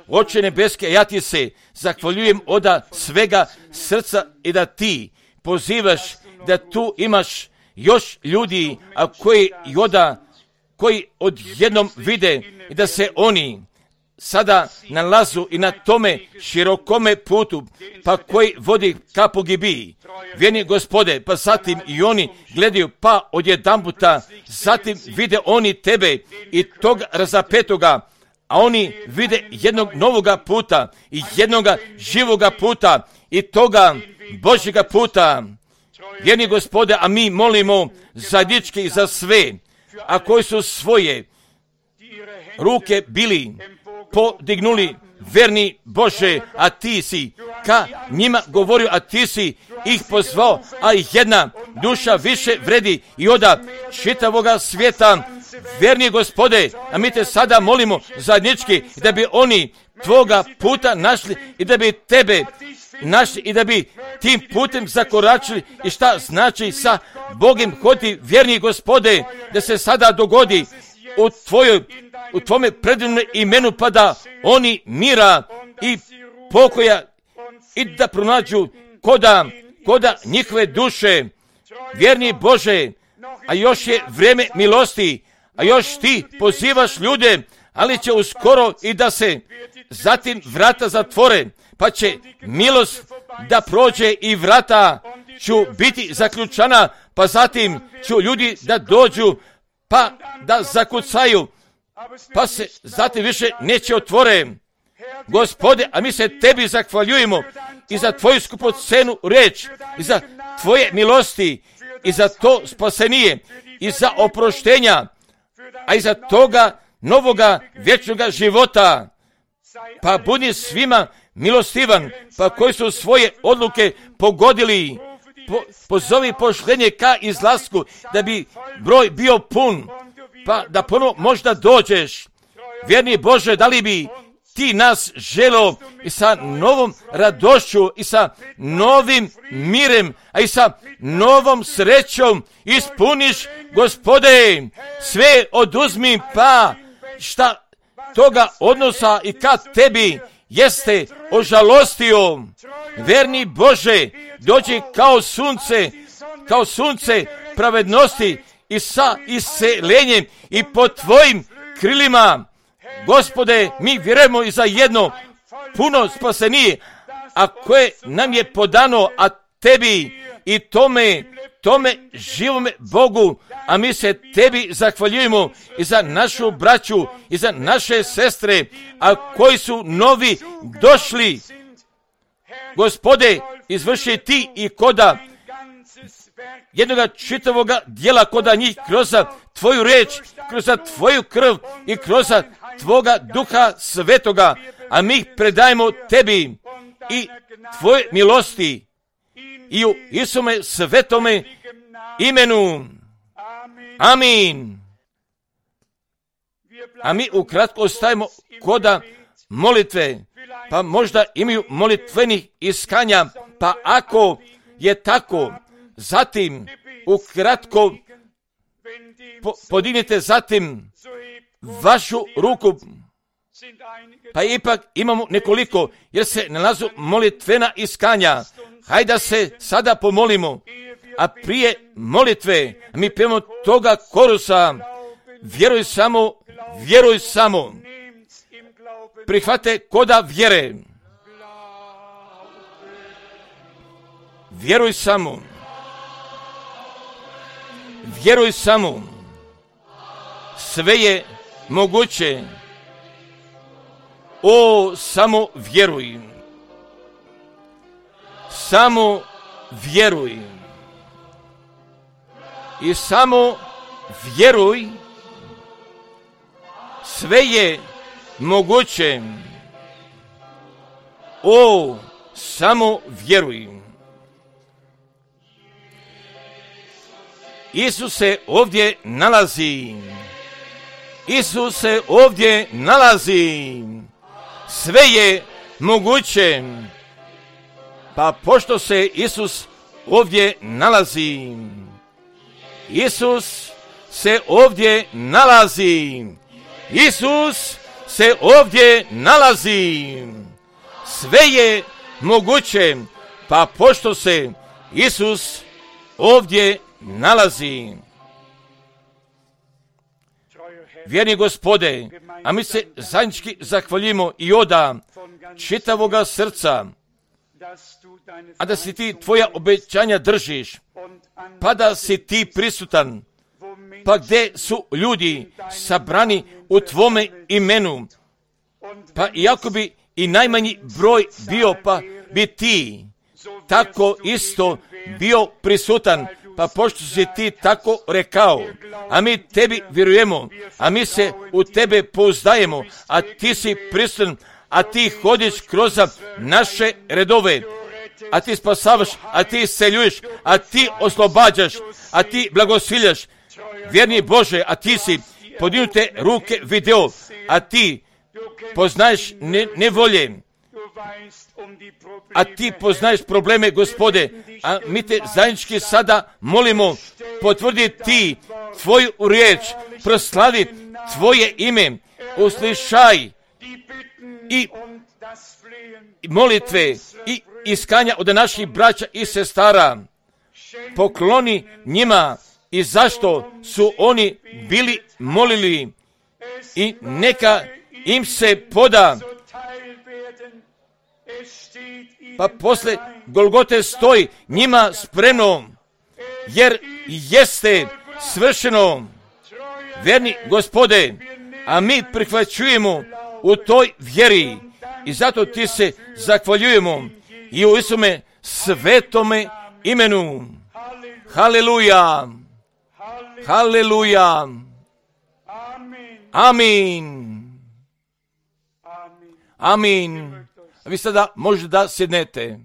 Oče nebeske, ja ti se zahvaljujem od svega srca i da ti pozivaš da tu imaš još ljudi, a koji odjednom vide i da se oni sada nalazu i na tome širokome putu, pa koji vodi ka pogibiji. Vjeni Gospode, pa zatim i oni gledaju, pa odjedanputa, zatim vide oni tebe i tog razapetoga, a oni vide jednog novoga puta i jednoga živoga puta i toga Božjega puta. Vjeni Gospode, a mi molimo zajednički za sve, a koji su svoje ruke bili podignuli, verni Bože, a ti si ka njima govorio, a ti si ih pozvao, a jedna duša više vredi i oda čitavoga svijeta. Verni Gospode, a mi te sada molimo zajednički da bi oni tvoga puta našli i da bi tebe našli i da bi tim putem zakoračili. I šta znači sa Bogom hodi, verni Gospode, da se sada dogodi u tvome predivnom imenu, pa da oni mira i pokoja i da pronađu koda njihove duše. Vjerni Bože, a još je vrijeme milosti, a još ti pozivaš ljude, ali će uskoro i da se zatim vrata zatvore, pa će milost da prođe i vrata ću biti zaključana, pa zatim ću ljudi da dođu, pa da zakucaju, pa se zatim više neće otvore. Gospode, a mi se tebi zahvaljujemo i za tvoju skupocenu reč, i za tvoje milosti, i za to spasenije, i za oproštenja, a i za toga novoga vječnoga života. Pa budi svima milostivan, pa koji su svoje odluke pogodili, pozovi poštenje ka izlasku, da bi broj bio pun, pa da ponovo možda dođeš. Vjerni Bože, da li bi ti nas želo i sa novom radošću i sa novim mirem, a i sa novom srećom ispuniš, Gospode, sve oduzmi, pa šta toga odnosa i kad tebi jeste ožalostio. Verni Bože, dođi kao sunce pravednosti i sa iselenjem i pod tvojim krilima. Gospode, mi vjerujemo i za jedno puno spasenije, a koje nam je podano, a tebi i tome živome Bogu, a mi se tebi zahvaljujemo i za našu braću i za naše sestre, a koji su novi došli. Gospode, izvrši ti i koda jednoga čitavoga dijela koda njih kroz tvoju reč, kroz tvoju krv i kroz tvoga Duha Svetoga, a mi ih predajemo tebi i tvoje milosti i u Isume svetome imenu. Amin. A mi ukratko ostajemo koda molitve, pa možda imaju molitvenih iskanja, pa ako je tako, zatim ukratko podignite zatim vašu ruku, pa ipak imamo nekoliko, jer se nalazu molitvena iskanja. Hajde da se sada pomolimo, a prije molitve mi pijemo toga korusa, vjeruj samo, prihvate koda vjere, vjeruj samo, sve je moguće, samo vjeruj, i samo vjeruj, sve je moguće, samo vjeruj. Isus se ovdje nalazi, sve je moguće, pa pošto se Isus ovdje nalazi, Isus se ovdje nalazi, sve je moguće, pa pošto se Isus ovdje nalazi. Vjerni Gospode, a mi se zajednički zahvaljujemo i oda čitavoga srca, a da si ti tvoja obećanja držiš, pa da si ti prisutan, pa gdje su ljudi sabrani u tvome imenu, pa iako bi i najmanji broj bio, pa bi ti tako isto bio prisutan, pa pošto si ti tako rekao, a mi tebi vjerujemo, a mi se u tebe pouzdajemo, a ti si prisutan, a ti hodiš kroz naše redove, a ti spasavaš, a ti isceljuješ, a ti oslobađaš, a ti blagosiljaš. Vjerni Bože, a ti si podignute ruke video, a ti poznaješ nevolje, a ti poznaješ probleme, Gospode, a mi te zajednički sada molimo, potvrdi ti tvoju riječ, proslavi tvoje ime, uslišaj i molitve i iskanja od naših braća i sestara, pokloni njima i zašto su oni bili molili i neka im se poda. Pa posle Golgote stoji njima spremno, jer jeste svršeno. Verni Gospode, a mi prihvaćujemo u toj vjeri i zato ti se zahvaljujemo i u Isume svetome imenu. Haleluja! Haleluja! Amin! Amin! Vi sada možete da sjednete.